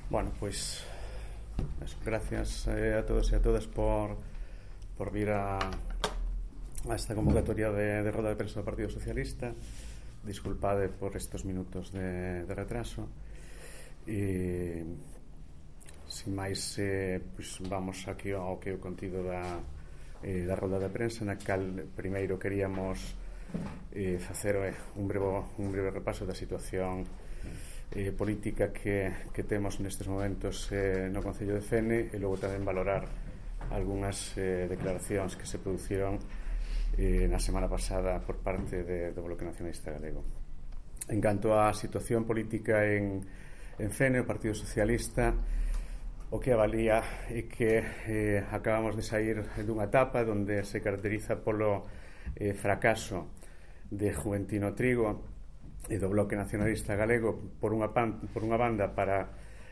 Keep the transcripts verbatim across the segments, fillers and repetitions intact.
Bueno, pois eso, gracias eh, a todos e a todas por, por vir a, a esta convocatoria de, de roda de prensa do Partido Socialista. Disculpade por estes minutos de, de retraso e sin máis eh, pois vamos aquí ao que é o contido da, eh, da roda de prensa, na cal primeiro queríamos eh, facer eh, un, breve, un breve repaso da situación Eh, política que, que temos nestes momentos eh, no Concello de Fene, e logo tamén valorar algunhas eh, declaracións que se produciron eh, na semana pasada por parte de, do Bloque Nacionalista Galego. En canto á situación política en, en Fene, o Partido Socialista o que avalía é que eh, acabamos de sair dunha etapa onde se caracteriza polo eh, fracaso de Juventino Trigo e do Bloque Nacionalista Galego por unha, pan, por unha banda para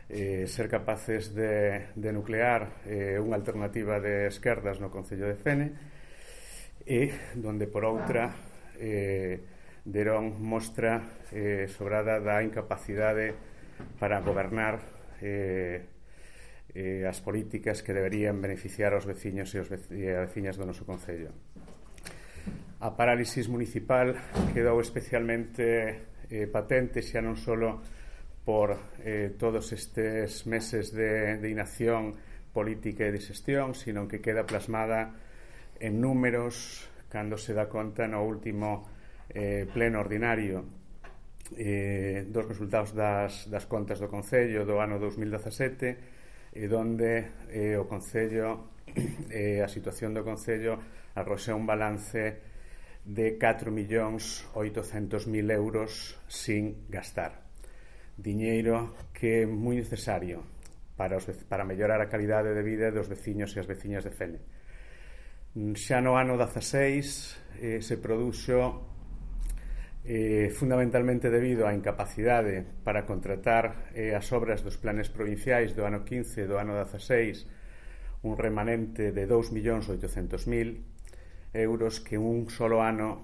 eh, ser capaces de, de nuclear eh, unha alternativa de esquerdas no Concello de Fene, e donde por outra eh, deron mostra eh, sobrada da incapacidade para gobernar eh, eh, as políticas que deberían beneficiar aos veciños e, os vec- e as veciñas do noso Concello. A parálisis municipal quedou especialmente eh, patente xa non só por eh, todos estes meses de, de inacción política e de xestión, sino que queda plasmada en números cando se dá conta no último eh, pleno ordinario eh, dos resultados das, das contas do Concello do ano dos mil dezasete, e donde eh, o Concello eh, a situación do Concello arroxa un balance de catro millóns oitocentos mil euros sin gastar. Diñeiro que é moi necesario para, os, para mellorar a calidade de vida dos veciños e as veciñas de Fene. Xa no ano dezaseis eh, se produxo eh, fundamentalmente debido á incapacidade para contratar eh, as obras dos planes provinciais do ano quince e do ano dezaseis, un remanente de dous millóns oitocentos mil euros que un solo ano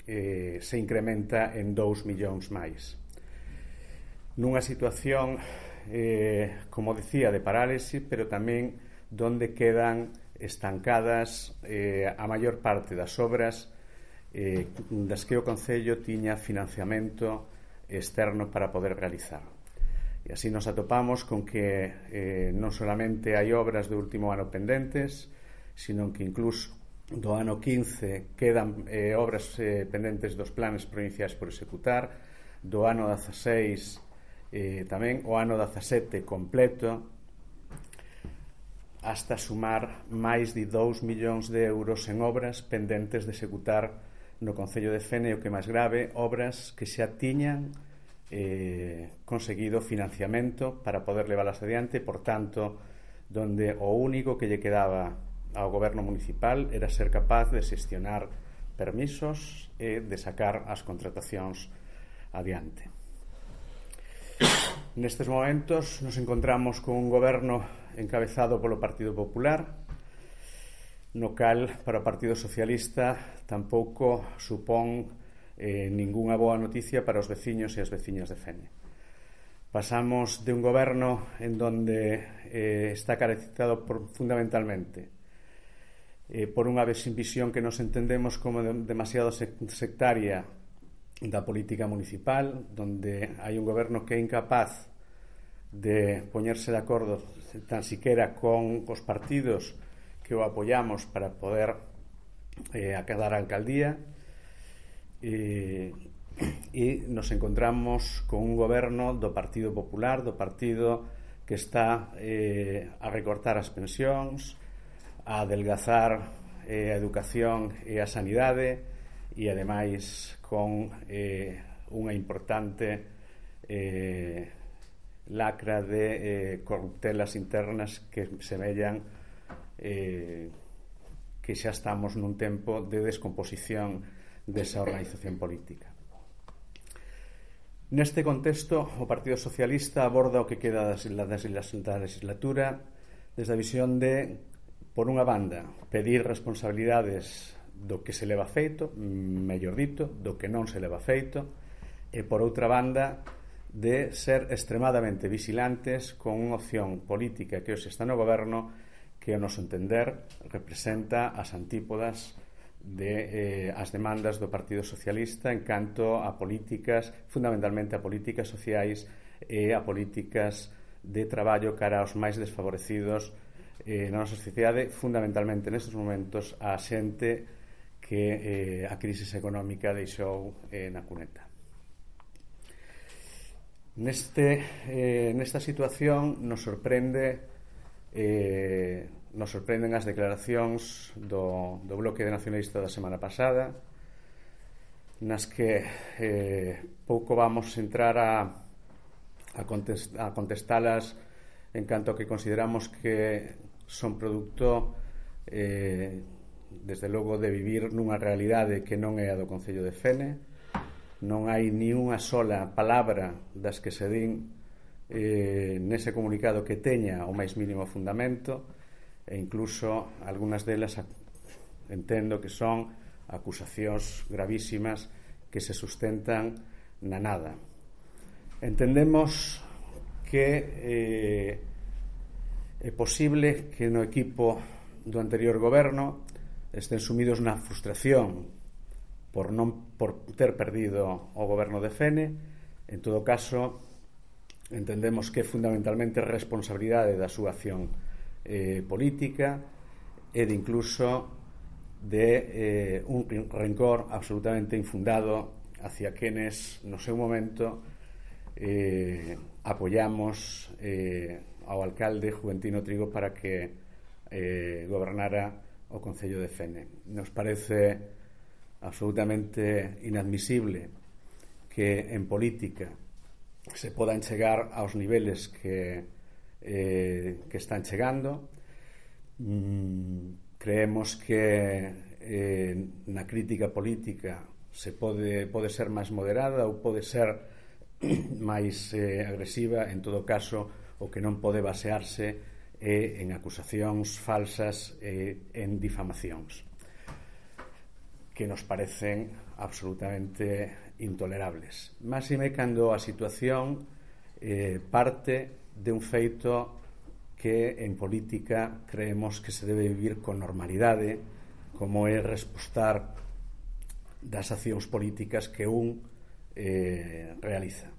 eh, se incrementa en dous millóns máis. Nunha situación, eh, como decía, de parálisis, pero tamén donde quedan estancadas eh, a maior parte das obras eh, das que o Concello tiña financiamento externo para poder realizar. E así nos atopamos con que eh, non solamente hai obras do último ano pendentes, sino que incluso do ano quince quedan eh, obras eh, pendentes dos planes provinciais por executar, do ano dezaseis eh, tamén, o ano dezasete completo, hasta sumar máis de dous millóns de euros en obras pendentes de executar no Concello de Fene, o que máis grave, obras que xa tiñan eh, conseguido financiamento para poder leválas adiante, por tanto, donde o único que lle quedaba ao goberno municipal era ser capaz de xestionar permisos e de sacar as contratacións adiante. Nestes momentos nos encontramos con un goberno encabezado polo Partido Popular, no cal para o Partido Socialista tampouco supón eh, ningunha boa noticia para os veciños e as veciñas de Fene. Pasamos de un goberno en donde eh, está caracterizado por, fundamentalmente Eh, por unha visión que nos entendemos como de, demasiado sectaria da política municipal, donde hai un goberno que é incapaz de poñerse de acordo tan siquiera con os partidos que o apoyamos para poder eh, acadar a alcaldía, e, e nos encontramos con un goberno do Partido Popular, do partido que está eh, a recortar as pensións, a adelgazar eh, a educación e a sanidade, e ademais con eh, unha importante eh, lacra de eh, corruptelas internas que semellan eh, que xa estamos nun tempo de descomposición desa organización política. Neste contexto, o Partido Socialista aborda o que queda da legislatura desde a visión de, por unha banda, pedir responsabilidades do que se leva feito, mellor dito, do que non se leva feito, e por outra banda, de ser extremadamente vigilantes con unha opción política que hoxe está no goberno que, ao noso entender, representa as antípodas de eh, as demandas do Partido Socialista en canto a políticas, fundamentalmente a políticas sociais e a políticas de traballo cara aos máis desfavorecidos eh, na nosa sociedade, fundamentalmente nestes momentos a xente que eh, a crisis económica deixou eh, na cuneta. Neste, eh, nesta situación nos sorprende eh, nos sorprenden as declaracións do, do Bloque Nacionalista da semana pasada, nas que eh, pouco vamos entrar a a, contest, a contestalas en canto a que consideramos que son produto eh, desde logo de vivir nunha realidade que non é a do Concello de Fene. Non hai ni unha sola palabra das que se din eh, nese comunicado que teña o máis mínimo fundamento, e incluso algunhas delas entendo que son acusacións gravísimas que se sustentan na nada. Entendemos que eh, é posible que no equipo do anterior goberno estén sumidos na frustración por non por ter perdido o goberno de Fene. En todo caso, entendemos que é fundamentalmente responsabilidade da súa acción eh, política e de incluso de eh, un rencor absolutamente infundado hacia quenes no seu momento Eh, apoyamos eh, ao alcalde Juventino Trigo para que eh, gobernara o Concello de Fene. Nos parece absolutamente inadmisible que en política se podan chegar aos niveles que, eh, que están chegando. Mm, creemos que eh, na crítica política se pode, pode ser máis moderada ou pode ser máis eh, agresiva. En todo caso, o que non pode basearse é en acusacións falsas e en difamacións que nos parecen absolutamente intolerables. Máxime cando a situación eh, parte de un feito que en política creemos que se debe vivir con normalidade, como é respostar das accións políticas que un eh, realiza.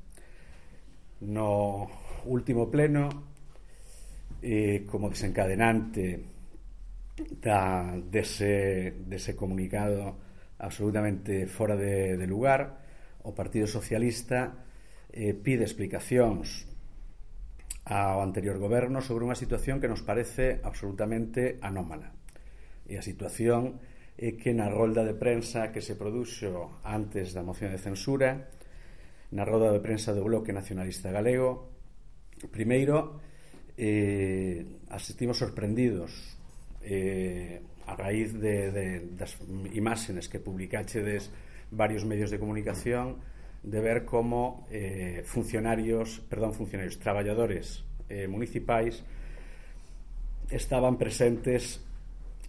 No último pleno, eh, como desencadenante da, dese, dese comunicado absolutamente fora de, de lugar, o Partido Socialista eh, pide explicacións ao anterior goberno sobre unha situación que nos parece absolutamente anómala. E a situación é que na rolda de prensa que se produxo antes da moción de censura, na rolda de prensa do Bloque Nacionalista Galego, primeiro eh, asistimos sorprendidos eh, a raíz de, de, das imágenes que publicachedes varios medios de comunicación, de ver como eh, funcionarios, perdón, funcionarios, traballadores eh, municipais estaban presentes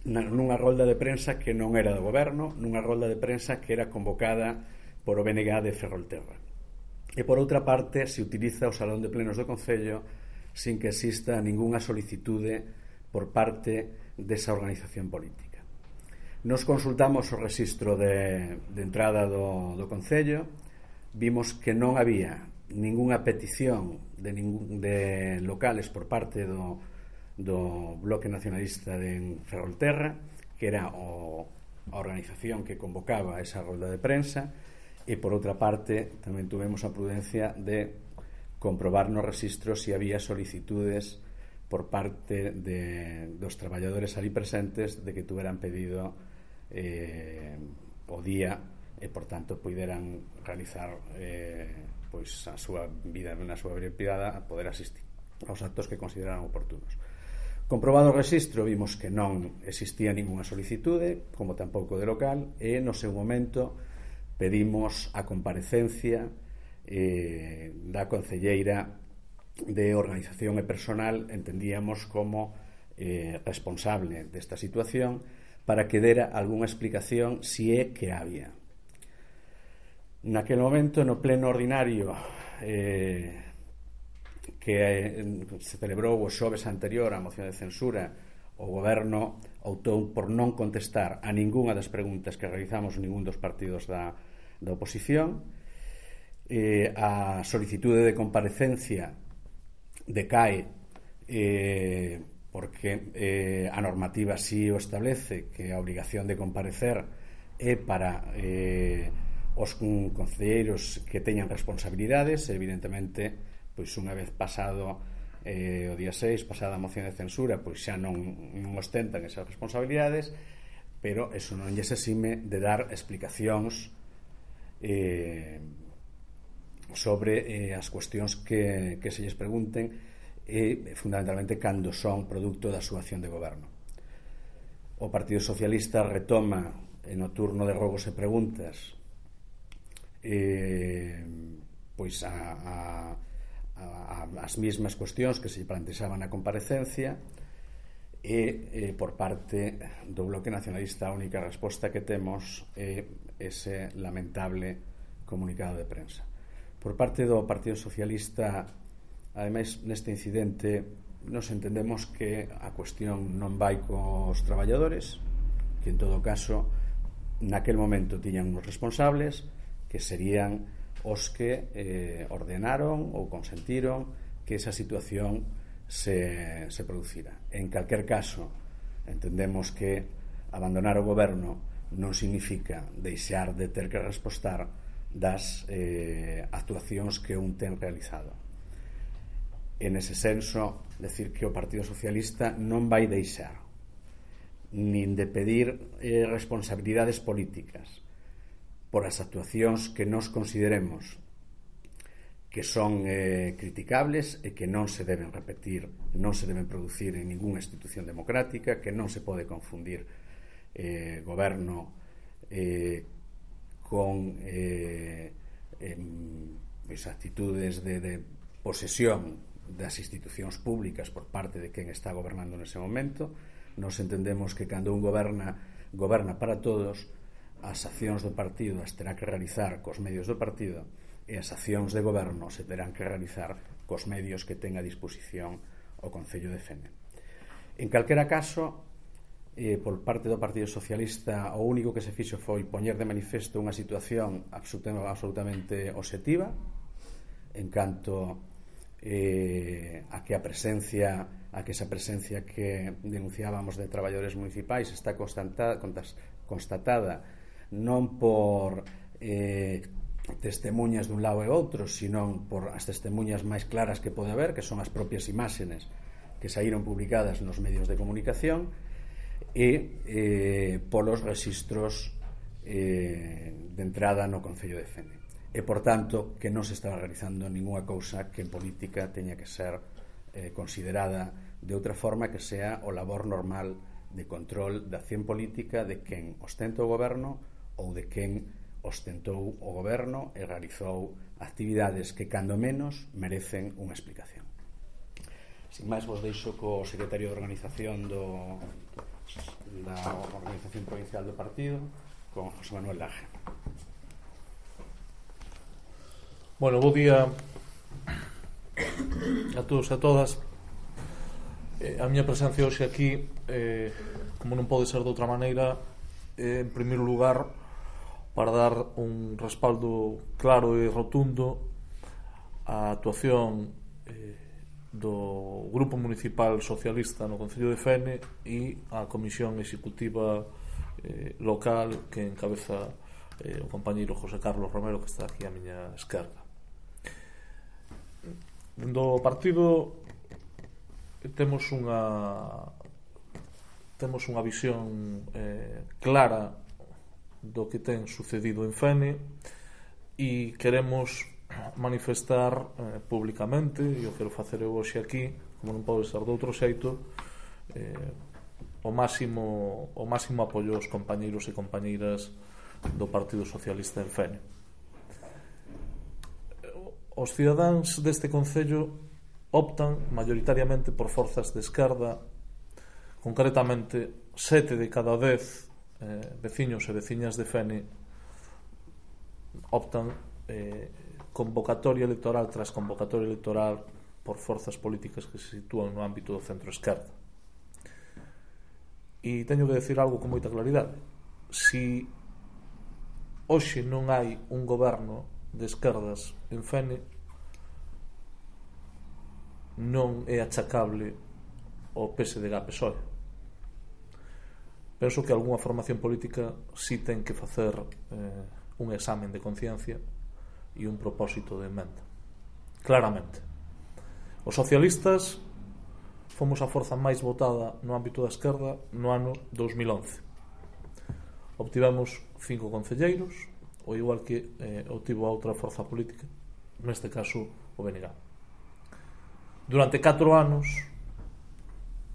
nunha rolda de prensa que non era do goberno, nunha rolda de prensa que era convocada por o B N G de Ferrolterra. E por outra parte, se utiliza o Salón de Plenos do Concello sin que exista ningunha solicitude por parte desa organización política. Nos consultamos o rexistro de, de entrada do, do Concello, vimos que non había ningunha petición de, ningún, de locales por parte do do Bloque Nacionalista de Ferrolterra, que era o, a organización que convocaba esa rolda de prensa, e por outra parte tamén tuvemos a prudencia de comprobar no registro se había solicitudes por parte de, dos traballadores ali presentes de que tuveran pedido eh, o día e por tanto puderan realizar eh, pois a súa vida na súa vida privada, a poder asistir aos actos que consideraran oportunos. Comprobado o rexistro, vimos que non existía ningunha solicitude, como tampouco de local, e no seu momento pedimos a comparecencia eh, da concelleira de Organización e Personal, entendíamos como eh, responsable desta situación, para que dera algunha explicación si é que había. Naquel momento, no pleno ordinario eh, que eh, se celebrou o xoves anterior á moción de censura, o Goberno optou por non contestar a ningunha das preguntas que realizamos ningún dos partidos da, da oposición. Eh, a solicitude de comparecencia decae eh, porque eh, a normativa sí o establece que a obrigación de comparecer é para eh, os concelleiros que teñan responsabilidades. Evidentemente, pois unha vez pasado eh, o día seis, pasada a moción de censura, pois xa non, non ostentan esas responsabilidades, pero eso non lles exime de dar explicacións eh, sobre eh, as cuestións que, que se lles pregunten, e fundamentalmente cando son produto da súa acción de goberno. O Partido Socialista retoma no turno de rogos e preguntas eh, pois a, a, a, as mesmas cuestións que se plantexaban na comparecencia, e eh, por parte do Bloque Nacionalista a única resposta que temos é ese lamentable comunicado de prensa. Por parte do Partido Socialista, ademais, neste incidente nos entendemos que a cuestión non vai cos traballadores, que en todo caso naquel momento tiñan uns responsables que serían os que eh, ordenaron ou consentiron que esa situación se, se producira. En calquer caso, entendemos que abandonar o goberno non significa deixar de ter que respostar das eh, actuacións que un ten realizado. En ese senso, decir que o Partido Socialista non vai deixar nin de pedir eh, responsabilidades políticas por as actuacións que nos consideremos que son eh, criticables e que non se deben repetir, non se deben producir en ninguna institución democrática, que non se pode confundir eh, goberno eh, con eh, eh, pues, actitudes de, de posesión das institucións públicas por parte de quen está gobernando nese momento. Nos entendemos que cando un goberna goberna para todos, as accións do partido as terá que realizar cos medios do partido, e as accións de goberno se terán que realizar cos medios que ten a disposición o Concello de Fene. En calquera caso, eh, por parte do Partido Socialista, o único que se fixo foi poñer de manifesto unha situación absolutamente obxectiva en canto eh, a que a presencia a que esa presencia que denunciábamos de traballadores municipais está constatada, constatada non por eh, testemunhas dun lado e outro, sino por as testemunhas máis claras que pode haber, que son as propias imaxes que saíron publicadas nos medios de comunicación, e eh, polos registros eh, de entrada no Concello de Fene. E, por tanto, que non se estaba realizando ninguna cousa que en política teña que ser eh, considerada de outra forma que sea o labor normal de control da acción política de quen ostenta o goberno ou de quen ostentou o goberno e realizou actividades que, cando menos, merecen unha explicación. Sin máis, vos deixo co secretario de organización do, da Organización Provincial do Partido, con José Manuel Laje. Bueno, bo día a todos e a todas. Eh, a miña presencia hoxe aquí, eh, como non pode ser de outra maneira, eh, en primeiro lugar, para dar un respaldo claro e rotundo á actuación eh, do Grupo Municipal Socialista no Concello de Fene e á Comisión Executiva eh, local que encabeza eh, o compañeiro José Carlos Romero, que está aquí á miña esquerda. Do partido temos unha temos unha visión eh, clara do que ten sucedido en Fene e queremos manifestar eh, públicamente, e eu quero facer eu hoxe aquí, como non pode ser de outro xeito, eh, o máximo o máximo apoio aos compañeiros e compañeiras do Partido Socialista en Fene. Os cidadáns deste concello optan maioritariamente por forzas de esquerda, concretamente sete de cada dez eh, veciños e veciñas de Fene optan eh, convocatoria electoral tras convocatoria electoral por forzas políticas que se sitúan no ámbito do centro-esquerda. E teño que decir algo con moita claridade. Si hoxe non hai un goberno de esquerdas en Fene, non é achacable ao P S D G P S O E. Penso que algunha formación política si ten que facer eh, un examen de conciencia e un propósito de emenda. Claramente. Os socialistas fomos a forza máis votada no ámbito da esquerda no ano dos mil once. Obtivemos cinco concelleiros, ao igual que eh, obtivo a outra forza política, neste caso o B N G. Durante catro anos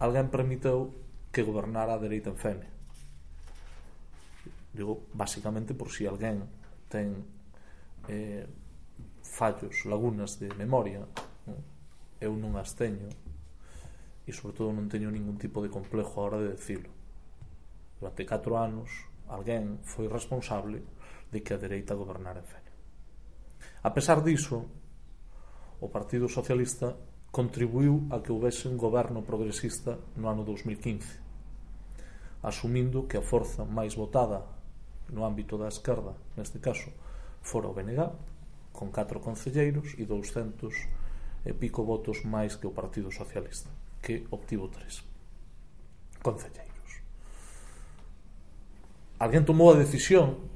alguén permitiu que gobernara a dereita en Fene. Digo, basicamente por si alguén ten eh, fallos, lagunas de memoria, non? Eu non as teño e sobre todo non teño ningún tipo de complejo a hora de decilo. Durante catro anos alguén foi responsable de que a dereita gobernara en Fene. A pesar diso, o Partido Socialista contribuiu a que houvese un goberno progresista no ano dos mil quince, asumindo que a forza máis votada no ámbito da esquerda, neste caso, fora o B N G, con catro concelleiros e douscentos e pico votos máis que o Partido Socialista, que obtivo tres concelleiros. Alguén tomou a decisión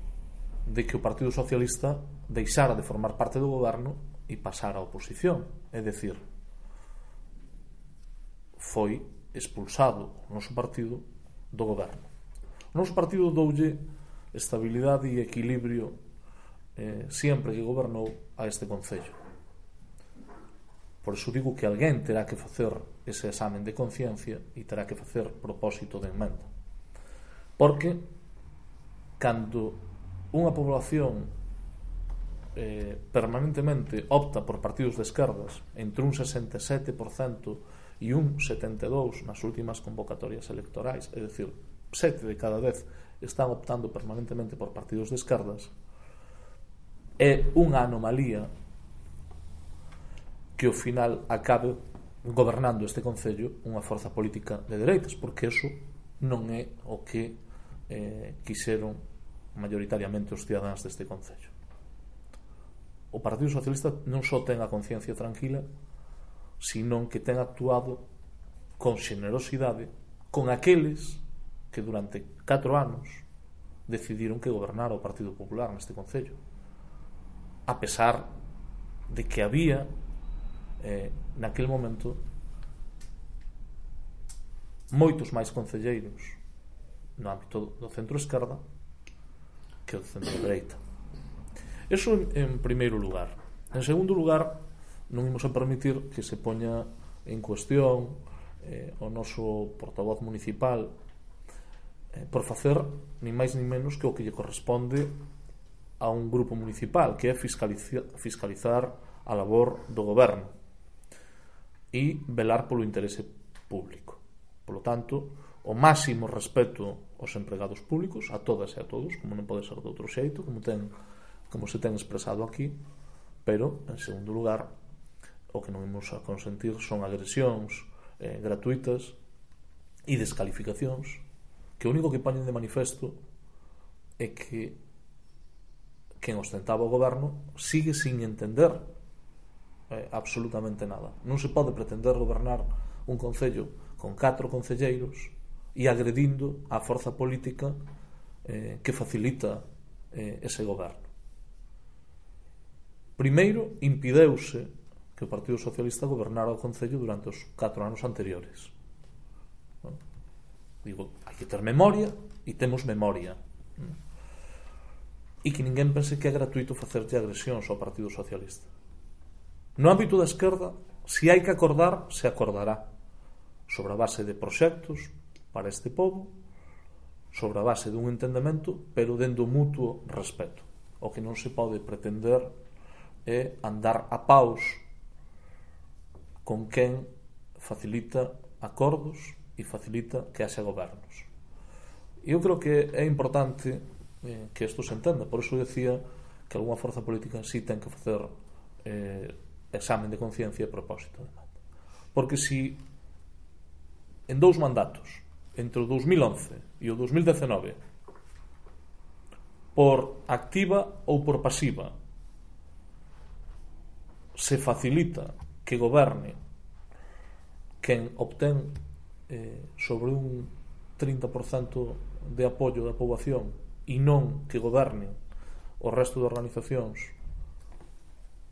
de que o Partido Socialista deixara de formar parte do goberno e pasara á oposición, é dicir, foi expulsado o noso partido do goberno. O noso partido doulle estabilidade e equilibrio eh, sempre que gobernou a este concello. Por iso digo que alguén terá que facer ese examen de conciencia e terá que facer propósito de emenda. Porque cando unha población eh, permanentemente opta por partidos de esquerdas entre un sesenta e sete por cento e un setenta e dous por cento nas últimas convocatorias electorais, é dicir, sete de cada dez están optando permanentemente por partidos de esquerdas, é unha anomalía que ao final acabe gobernando este concello unha forza política de dereitas, porque eso non é o que eh, quixeron mayoritariamente os cidadáns deste concello. O Partido Socialista non só ten a conciencia tranquila, senón que ten actuado con xenerosidade con aqueles que durante catro anos decidiron que gobernara o Partido Popular neste concello, a pesar de que había eh, naquele momento moitos máis concelleiros no ámbito do centro-esquerda que do centro-dereita. Eso en primeiro lugar. En segundo lugar, non imos a permitir que se poña en cuestión eh, o noso portavoz municipal eh, por facer ni máis ni menos que o que lle corresponde a un grupo municipal, que é fiscalizar, fiscalizar a labor do goberno e velar polo interese público. Por lo tanto, o máximo respeto aos empregados públicos, a todas e a todos, como non pode ser de outro xeito, como ten, como se ten expresado aquí, pero, en segundo lugar, o que non imos a consentir son agresións eh, gratuitas e descalificacións que o único que poñen de manifesto é que quen ostentaba o goberno sigue sin entender eh, absolutamente nada. Non se pode pretender gobernar un concello con catro concelleiros e agredindo a forza política eh, que facilita eh, ese goberno. Primeiro, impideuse que o Partido Socialista gobernara o concello durante os catro anos anteriores. Non? Digo, hai que ter memoria e temos memoria. Non? E que ninguén pense que é gratuito facerlle agresións ao Partido Socialista. No ámbito da esquerda, se hai que acordar, se acordará sobre a base de proxectos para este povo, sobre a base dun entendemento, pero dendo mutuo respeto. O que non se pode pretender é andar a paus con quen facilita acordos e facilita que haxa gobernos. Eu creo que é importante eh, que isto se entenda. Por iso decía que algunha forza política sí ten que facer eh, examen de conciencia a propósito de manda. Porque si en dous mandatos, entre o dous mil once e o dous mil dezenove, por activa ou por pasiva, se facilita que goberne quen obtén eh, sobre un trinta por cento de apoio da poboación e non que goberne o resto de organizacións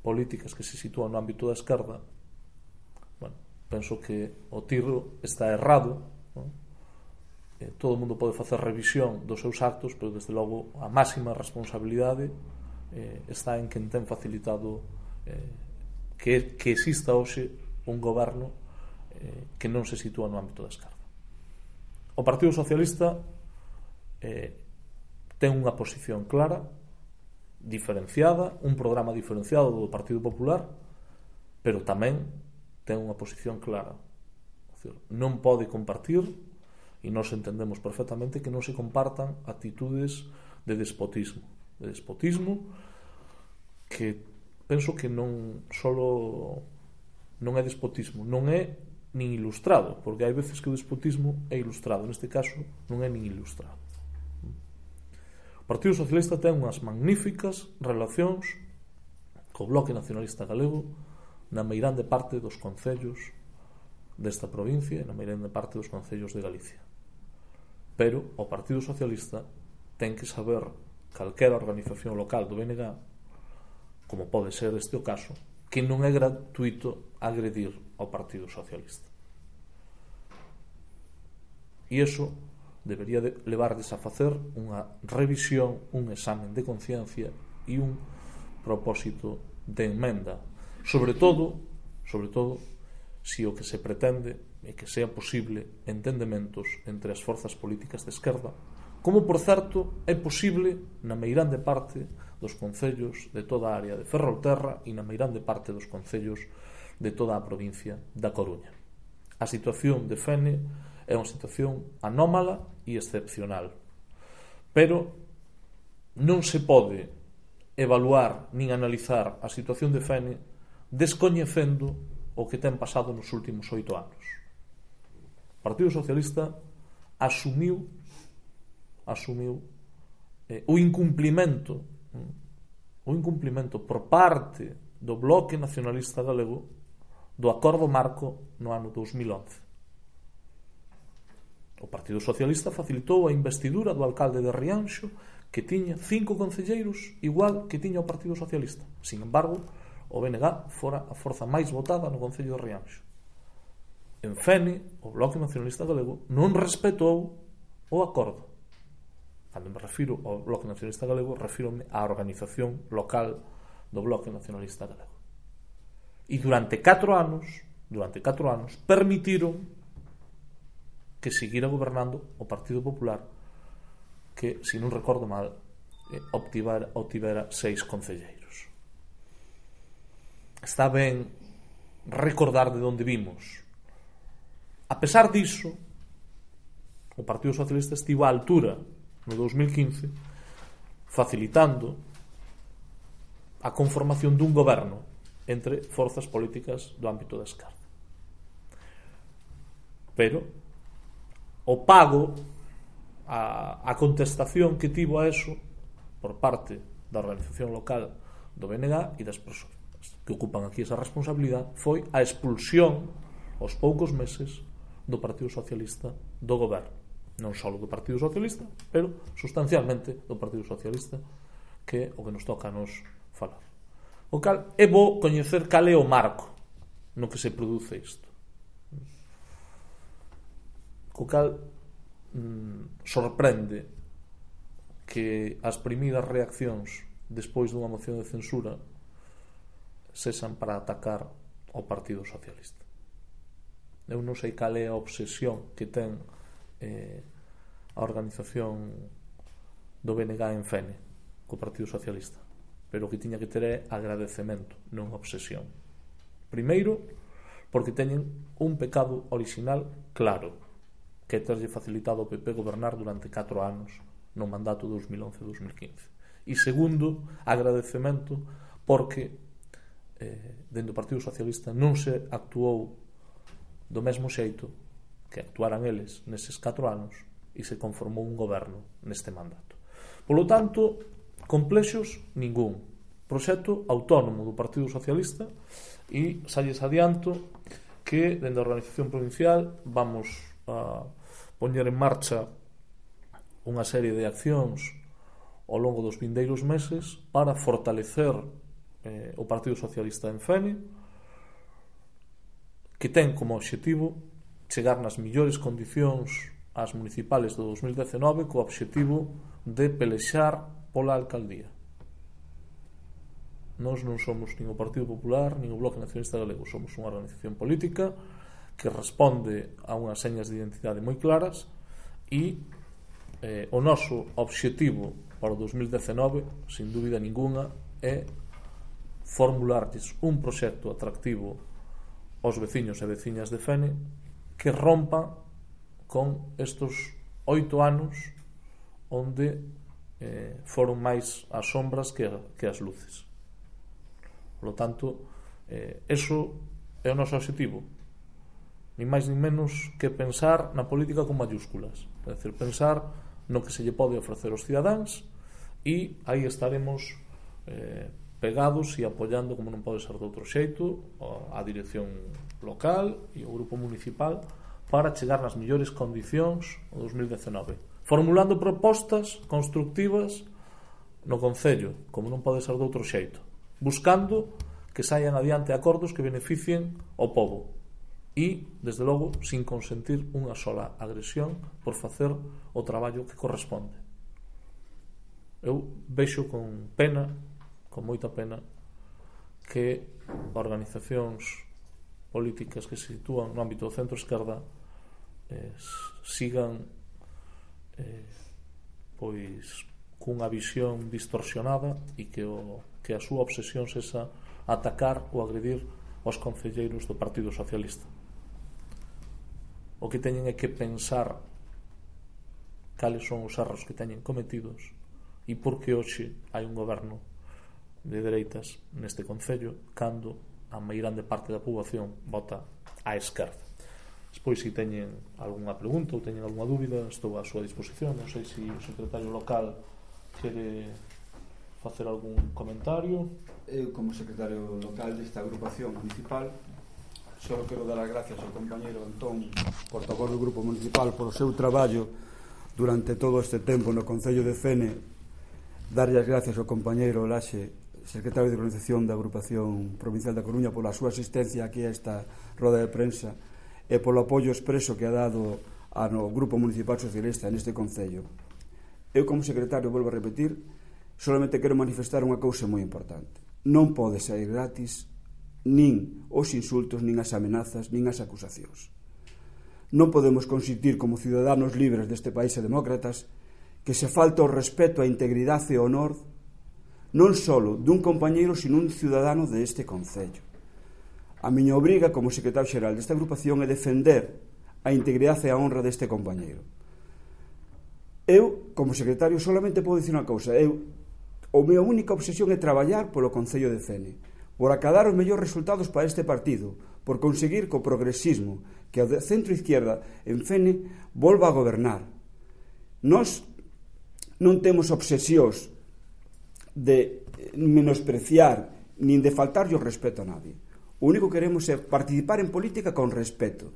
políticas que se sitúan no ámbito da esquerda, bueno, penso que o tiro está errado, non? Eh, todo o mundo pode facer revisión dos seus actos, pero desde logo a máxima responsabilidade eh, está en quen ten facilitado eh, que, que exista hoxe un goberno eh, que non se sitúa no ámbito da esquerda. O Partido Socialista eh, ten unha posición clara, diferenciada, un programa diferenciado do Partido Popular, pero tamén ten unha posición clara. Decir, non pode compartir, e nós entendemos perfectamente que non se compartan actitudes de despotismo. De despotismo que penso que non solo non é despotismo, non é nin ilustrado, porque hai veces que o despotismo é ilustrado, neste caso non é nin ilustrado. O Partido Socialista ten unhas magníficas relacións co Bloque Nacionalista Galego na meirande parte dos concellos desta provincia e na meirande parte dos concellos de Galicia. Pero o Partido Socialista ten que saber calquera organización local do B N G, como pode ser este o caso, que non é gratuito agredir ao Partido Socialista. E iso debería de levarles a facer unha revisión, un examen de conciencia e un propósito de enmenda. Sobre todo, sobre todo, se o que se pretende é que sea posible entendementos entre as forzas políticas de esquerda, como, por certo, é posible na meirande parte dos concellos de toda a área de Ferrolterra e na meirande parte dos concellos de toda a provincia da Coruña. A situación de Fene é unha situación anómala e excepcional, pero non se pode evaluar nin analizar a situación de Fene descoñecendo o que ten pasado nos últimos oito anos. O Partido Socialista asumiu asumiu eh, o incumplimento o incumplimento por parte do Bloque Nacionalista Galego do Acordo Marco no ano dous mil once. O Partido Socialista facilitou a investidura do alcalde de Rianxo, que tiña cinco concelleiros igual que tiña o Partido Socialista. Sin embargo, o B N G fora a forza máis votada no concello de Rianxo. En Fene, o Bloque Nacionalista Galego non respetou o acordo. Cando me refiro ao Bloque Nacionalista Galego, refírome á organización local do Bloque Nacionalista Galego. E durante catro anos, durante catro anos, permitiron que seguira gobernando o Partido Popular, que, se non recordo mal, eh, obtivera, obtivera seis concelleiros. Está ben recordar de onde vimos. A pesar diso, o Partido Socialista estivo á altura no dous mil quince facilitando a conformación dun goberno entre forzas políticas do ámbito da esquerda. Pero o pago, a, a contestación que tivo a eso por parte da organización local do B N G e das persoas que ocupan aquí esa responsabilidade foi a expulsión aos poucos meses do Partido Socialista do goberno, non só do Partido Socialista, pero sustancialmente do Partido Socialista, que é o que nos toca a nos falar. O cal é bo coñecer cal é o marco no que se produce isto. Co cal mm, sorprende que as primeiras reaccións despois dunha moción de censura sexan para atacar ao Partido Socialista. Eu non sei cal é a obsesión que ten eh, a organización do B N G en Fene co Partido Socialista, pero o que tiña que ter é agradecemento, non obsesión. Primeiro, porque teñen un pecado orixinal claro, que é terlle facilitado ao P P gobernar durante catro anos no mandato dous mil once a dous mil quince. E segundo, agradecemento porque eh, dentro do Partido Socialista non se actuou do mesmo xeito que actuaran eles neses catro anos e se conformou un goberno neste mandato. Polo tanto, complexos ningún. Proxecto autónomo do Partido Socialista e salles adianto que dende a organización provincial vamos a poñer en marcha unha serie de accións ao longo dos vindeiros meses para fortalecer eh, o Partido Socialista en Fene, que ten como obxectivo chegar nas millores condicións ás municipales do dos mil dezenove co obxectivo de pelexar pola alcaldía. Nós non somos nin o Partido Popular nin o Bloque Nacionalista Galego, somos unha organización política que responde a unhas señas de identidade moi claras e eh, o noso obxectivo para o dos mil dezenove, sin dúbida ninguna, é formularlles un proxecto atractivo aos veciños e veciñas de Fene que rompa con estos oito anos onde eh, foron máis as sombras que, que as luces. Por lo tanto, eh, eso é o noso objetivo, ni máis ni menos que pensar na política con mayúsculas, é dicir, pensar no que se lle pode ofrecer aos cidadáns e aí estaremos eh, pegados e apoiando, como non pode ser de outro xeito, a dirección local e o grupo municipal para chegar nas millores condicións ao dos mil dezenove, formulando propostas constructivas no Concello, como non pode ser de outro xeito, buscando que saian adiante acordos que beneficien ao pobo e, desde logo, sin consentir unha sola agresión por facer o traballo que corresponde. Eu vexo con pena, con moita pena, que organizacións políticas que se sitúan no ámbito do centro-esquerda eh, sigan eh, pois cunha visión distorsionada e que, o, que a súa obsesión sexa atacar ou agredir aos concelleiros do Partido Socialista. O que teñen é que pensar cales son os erros que teñen cometidos e por que hoxe hai un goberno de dereitas neste concello cando a meirande parte da poboación vota á esquerda. Despois, se teñen algunha pregunta ou teñen algunha dúbida, estou á súa disposición. Non sei se o secretario local quere facer algún comentario. Eu, como secretario local desta agrupación municipal, só quero dar as gracias ao compañeiro Antón, portavoz do grupo municipal, por o seu traballo durante todo este tempo no Concello de Fene. Darlle as gracias ao compañeiro Laxe, secretario de organización da agrupación provincial da Coruña, pola súa asistencia aquí a esta roda de prensa e polo apoio expreso que ha dado ao grupo municipal socialista neste Concello. Eu, como secretario, volvo a repetir, solamente quero manifestar unha cousa moi importante. Non pode sair gratis nin os insultos, nin as amenazas, nin as acusacións. Non podemos consentir como ciudadanos libres deste país e demócratas que se falta o respeto, a integridade e o honor non só dun compañeiro, sino un ciudadano deste Concello. A miña obriga como secretario xeral desta agrupación é defender a integridade e a honra deste compañeiro. Eu, como secretario, solamente podo dicir unha cousa. Eu, a miña única obsesión é traballar polo Concello de Fene, por acadar os mellores resultados para este partido, por conseguir co progresismo que o centro-izquierda en Fene volva a gobernar. Nós non temos obsesións de menospreciar nin de faltarlle o respeto a nadie. O único que queremos é participar en política con respeto.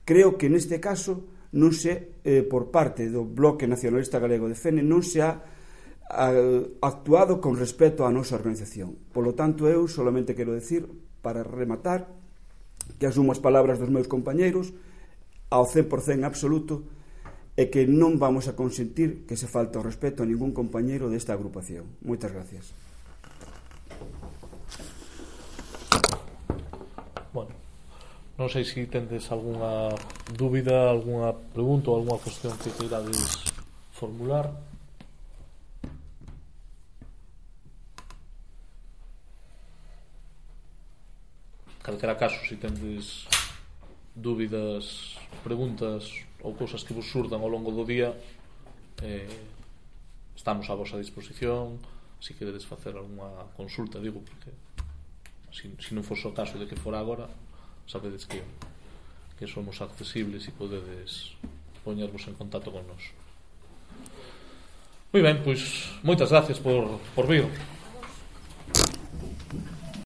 Creo que neste caso non se, eh, por parte do Bloque Nacionalista Galego de Fene, non se ha eh, actuado con respeto á nosa organización. Por lo tanto, eu solamente quero decir, para rematar, que asumo as palabras dos meus compañeiros ao cen por cen absoluto, e que non vamos a consentir que se falte o respeto a ningún compañeiro desta agrupación. Moitas gracias. Bueno, non sei se tendes algunha dúbida, algunha pregunta ou algunha cuestión que queirades formular. Calquera caso, se tendes dúbidas, preguntas ou cousas que vos surdan ao longo do día, eh, estamos a vosa disposición. Se queredes facer algunha consulta, digo, porque se si, si non fose o caso de que fora agora, sabedes que que somos accesibles e podedes poñervos en contacto con nós. Moi ben, pois moitas gracias por, por vir.